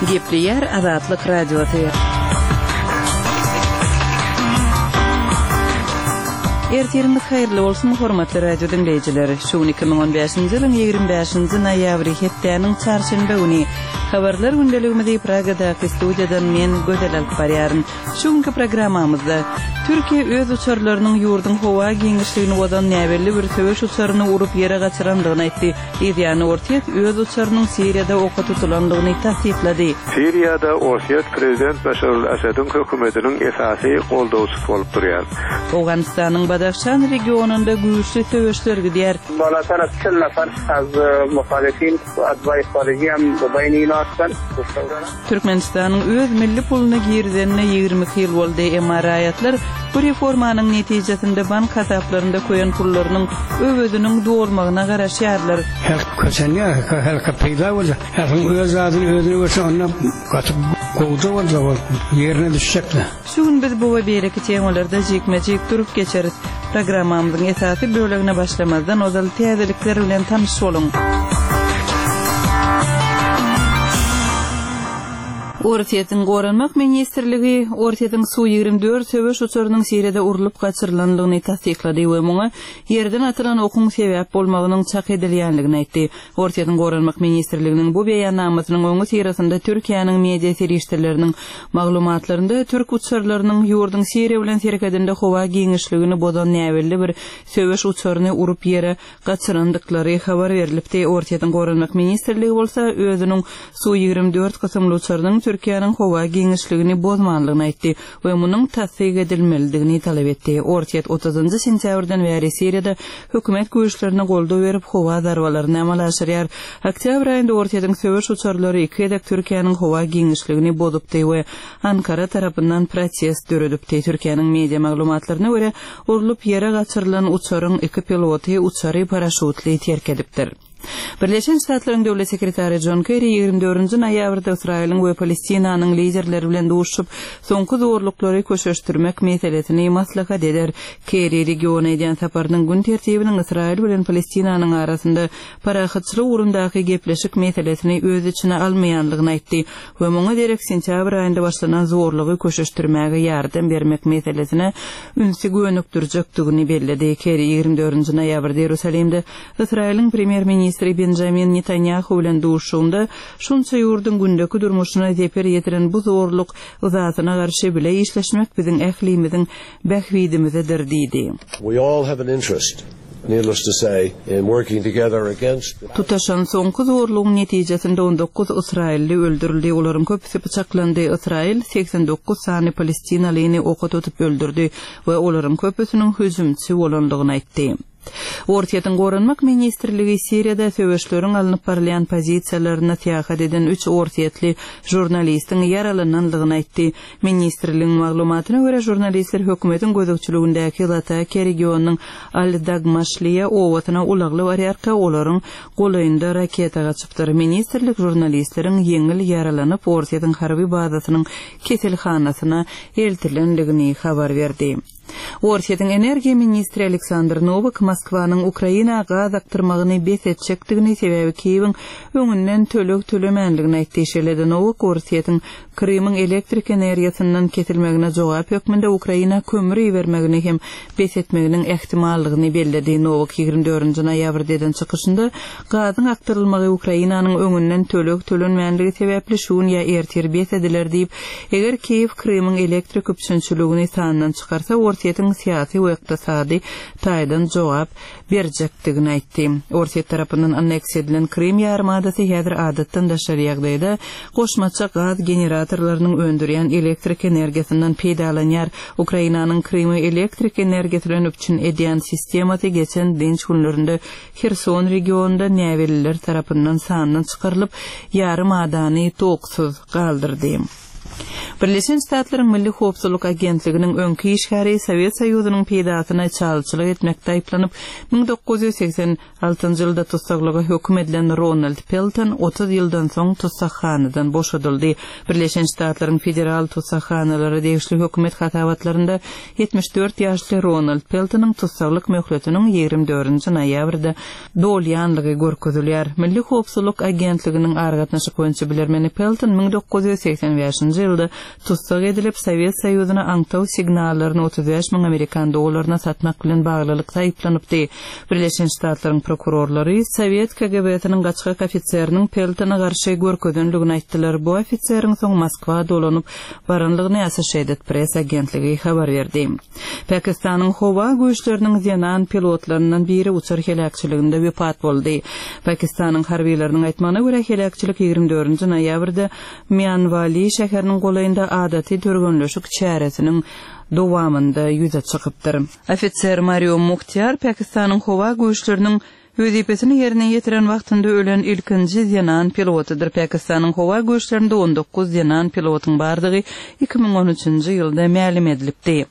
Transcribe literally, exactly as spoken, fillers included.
Gepleýär Azatlyk Radiosy. Ertiriňiz haýyrly bolsun, hormatly radio diňleýjiler. Şu gün iki müň on bäşinji ýylyň ýigrimi bäşinji noýabry, hepdäniň çarşenbe güni. Habarlar gündeligimizi Pragadaky studiýadan men Gözel alyp barýaryn. Şu günki programmamyzda Türkiýe öz uçarlarynyň ýurduň howa giňişligini bozan näbelli bir söweş uçaryny urup ýere gaçyrandygyny aýtdy. Yzýany Orsýet öz uçarynyň Siriýada oka tutulandygyny tassyklady. Siriýada Orsýet prezident Başar al-Asadyň hökümetiniň esasy goldawçysy bolup durýar. Owganystanyň Badahşan regionynda güýçli söweşler gidýär. Balatar çil nafar az muhalifin atbaý harijiýam beýni ýatdan. Türkmenistanyň öz milli puluny girizenine ýigrimi iki ýyl boldy, emma raýatlar bu reformanyň netijesinde bank hasaplarynda köýen pullarynyň öweziniň dolmagyna garaşýarlar. Her kösenýär, her peýda bolýar. Her öz adyny özüne görse onda gaty gowja boljak ol ýerine düşjekler. Şu gün biz bu we beýleki temalarda jikme-jik durup geçeris. Programmamyzyň esasy bölegine başlamazdan ozal täzelikler bilen tanyş boluň. Orsýetiň Goranmak ministrligi Orsýetiň Su ýigrimi dört söweş uçarynyň Siriýada urlup gaçyrylandygyny tassyklady we muňa ýerden atylan okuň sebäp bolmagynyň çak edilýändigini aýtdy. Orsýetiň Goranmak ministrliginiň bu beýannamasynyň öňi syrasynda Türkiýäniň media serişdeleriniň maglumatlarynda türk uçarlarynyň ýurduň Siriýa bilen serhedinde howa giňişligini bozan näbelli bir söweş uçaryny urup ýere gaçyrandyklary habar berilipdi. Orsýetiň Goranmak ministrligi bolsa özüniň Su ýigrimi dört kysymly uçarynyň Türkiýäniň howa giňişligini bozmanlygyny aýtdy we munuň tassyk edilmelidigini talap etdi. Orsýet otuzynjy sentýabrdan bäri Siriýada hökümet güýçlerine goldaw berip howa zarbalaryny amala aşyrýar. Oktýabr aýynda Orsýetiň söweş uçarlary iki gezek Türkiýäniň howa giňişligini bozupdy we Ankara tarapyndan protest döredipdi. Türkiýäniň media maglumatlaryna görä, urlup ýere gaçyrylan uçaryň iki piloty uçary paraşutly terk edipdir. Birleşen Ştatlaryň Döwlet sekretary John Kerry ýigrimi dördünji noýabrda Ysraýylyň we Palestinanyň liderleri bilen duşup, soňky zorluklary köşeşdirmek meselesini maslahat eder. Kerry regiona edýän saparynyň gün tertibiniň Ysraýyl bilen Palestinanyň arasynda parahatçylyk ugrundaky gepleşik meselesini öz içine almaýanlygyny aýtdy we muňa derek sentýabr aýynda başlanan zorlugy köşeşdirmäge ýardam bermek meselesine ünsi gönükdirjekdigini belledi. Kerry ýigrimi dördünji noýabrda Ýerusalimde Ysraýylyň premýer-ministri Benjamin Netanyahu bilen duşuşygynda şunça ýurduň gündeki durmuşyna zeper ýetiren bu zorluk yzasyna garşy bile işleşmek biziň ählimiziň bähbidimizedir diýdi. We all have an interest, needless to say, in working together against the Tutaşan soňky zorlugyň netijesinde on dokuz Ysraýylly öldürildi, olaryň köpüsi pyçaklandy. Ysraýyl seksen dokuz sany palestinalyny oka tutup öldürdi we olaryň köpüsiniň hüjümçi bolandygyny aýtdy. Orsýetiň Goranmak ministrligi Siriýada söweşleriň alnyp barylýan pozisiýalaryna syýahat eden üç orsýetli žurnalistiň ýaralanandygyny aýtdy. Ministrligiň maglumatyna görä, žurnalistler hökümetiň gözegçiligindäki Latakiýa regionynyň Al-Dagmaşliýa obasyna ulagly barýarka, olaryň golaýynda raketa gaçypdyr. Ministrlik žurnalistleriň ýeňil ýaralanyp, Orsýetiň harby bazasynyň keselhanasyna eltilendigini habar berdi. Orsýetiň energiýa ministri Aleksandr Nowak Moskwanyň Ukraina gaz akdyrmagyny bes etjekdigini, sebäbi Kiýewiň öňünden töleg tölemänligini aýtdy. Şeýle-de Nowak Orsýetiň Krymyň elektrik energiýasyndan kesilmegine jogap hökmünde Ukraina kömür ibermegini hem bes etmeginiň ähtimallygyny belledi. Nowak ýigrimi dördünji noýabrda eden çykyşynda gazyň akdyrylmagy Ukrainanyň öňünden töleg tölenmänligi sebäpli şu gün ýa ertir bes ediler diýip, eger Kiýew Krymyň elektrik üpjünçiligini sandan çykarsa, Orsýetiň syýasy we ykdysady taýdan jogap berjekdigini aýtdy. Orsýet tarapyndan anneksiýa edilen Krym ýarymadasy häzir adatdan daşary ýagdaýda goşmaça gaz generatorlarynyň öndürýän elektrik energiýasyndan peýdalanýar. Ukrainanyň Krymy elektrik energiýasy bilen üpjün edýän sistemasy geçen dynç günlerinde Herson regionynda näbelliler tarapyndan sandan çykarylyp, ýarymadany toksuz galdyrdy. Birleşen Ştatlaryň Milli howpsuzlyk agentliginiň öňki işgäri Sowet Soýuzynyň peýdasyna çalçylyk etmekde aýyplanyp, müň dokuz ýüz segsen altynjy ýylda tussaglyga höküm edilen Ronald Pelton otuz ýyldan soň tussaghanadan boşadyldy. Birleşen Ştatlaryň federal tussaghanalara degişli hökümet hasabatlarynda ýetmiş dört ýaşly Ronald Peltonyň tussaglyk möhletiniň ýigrimi dördünji noýabrda dolýanlygy görkezilýär. Milli howpsuzlyk agentliginiň aragatnaşyk boýunça bilermeni Pelton müň dokuz ýüz segsen bäşinji ýylda tussag edilip, Sowet Soýuzyna aňtaw signallaryny otuz bäş müň amerikan dollaryna satmak bilen baglylykda aýyplanypdy. Birleşen Ştatlaryň prokurorlary Sowet K G B-siniň gaçgak ofiseriniň Peltona garşy görkezenligini aýtdylar. Bu ofiseriň soň Moskwa dolanyp baranlygyny Associated Press agentligi habar berdi. Pakistanyň howa güýçleriniň zenan pilotlaryndan biri uçar heläkçiliginde wepat boldy. Pakistanyň harbiýlarynyň aýtmagyna görä heläkçilik ýigrimi dördünji noýabrda Mianwali şäheriniň golaýynda adaty türgenleşik çäresiniň dowamynda ýüze çykypdyr. Ofiser Mario Muhtiar Pakistanyň howa güýçleriniň wezipesini ýerine ýetiren wagtynda ölen ilkinji zenan pilotydyr. Pakistanyň howa güýçlerinde on dokuz zenan pilotyň bardygy iki müň on üçünji ýylda mälim edilipdi.